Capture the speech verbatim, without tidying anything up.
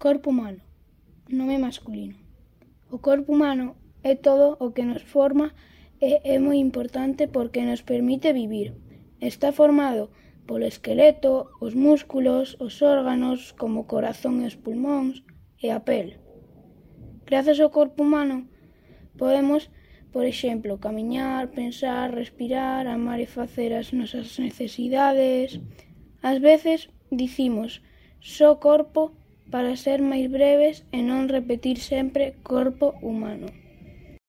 Corpo humano, nome masculino. O corpo humano é todo o que nos forma e é moi importante porque nos permite vivir. Está formado polo esqueleto, os músculos, os órganos como o corazón e os pulmóns e a pel. Grazas ao corpo humano podemos, por exemplo, camiñar, pensar, respirar, amar e facer as nosas necesidades. Ás veces dicimos só corpo para ser máis breves e non repetir sempre corpo humano.